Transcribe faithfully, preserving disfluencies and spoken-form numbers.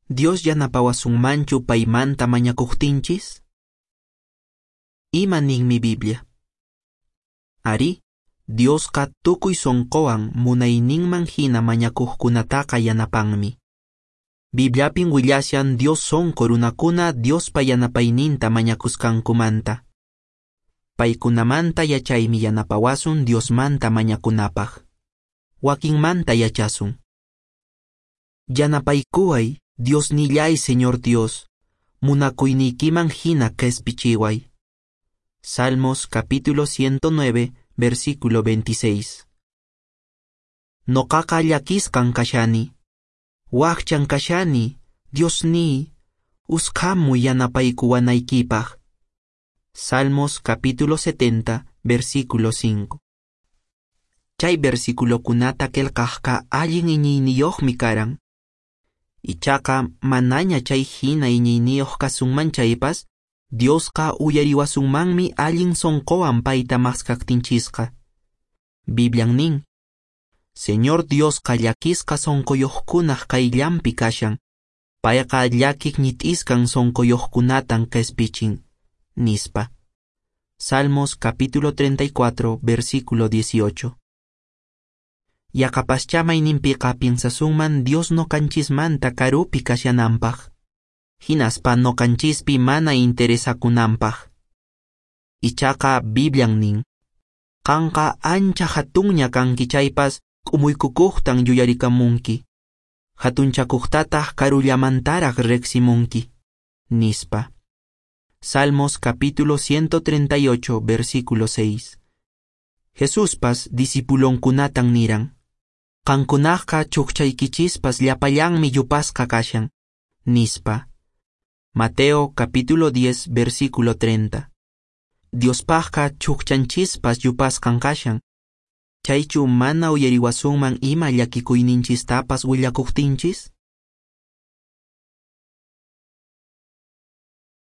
Dios yanapawasunmanchu paymanta mañakuqtinchis? Ima ninmi Biblia? Arí, Diosqa tukuy sonqowan munayninman hina mañakuqkunataqa yanapanmi. Bibliapin willashan Dios sonqo runakuna Diospa yanapayninta mañakusqankumanta. Paykunamanta yachaymi yanapawasun Diosmanta mañakunapaq. Wakinmanta yachasun. Yanapaykuway, Diosnillay Señor Dios, munakuyniykiman hina qespichiway. Salmos capítulo ciento nueve, versículo veintiséis. Noqaqa llakisqan kashani, wakchan kashani, Diosniy, usqhamuy yanapaykuwanaykipaq. Salmos capítulo setenta, versículo cinco. Chay versiculokunata qillqaqqa allin iñiyniyuqmi karan. Ichaqa manaña chay hina iñiyniyuq kasunman chaypas, Diosqa uyariwasunmanmi allin sonqowan payta maskaqtinchisqa. Biblian nin, Señor Diosqa llakisqa sonqoyuqkunaq qayllanpi kashan, payqa llakiq ñit'isqan sonqoyuqkunatan qespichin, nispa. Salmos capítulo treinta y cuatro, versículo dieciocho. Yaqapaschá mayninpiqa piensasunman Dios noqanchismanta karupi kashananpaq, hinaspa noqanchispi mana interesakunanpaq. Ichaqa Biblian nin, qanqa ancha hatunña kanki chaypas k'umuykukuqtan yuyarikamunki, hatunchakuqtataq karullamantaraq riqsimunki, nispa. Salmos capítulo ciento treinta y ocho, versículo seis. Jesuspas discipulonkunatan niran, qankunaqqa chukchaykichispas llapallanmi yupasqa kashan, nispa. Mateo capítulo diez, versículo treinta. Diospaqqa chukchanchispas yupasqan kashan. Chaychu mana uyariwasunman ima llakikuyninchistapas willakuqtinchis?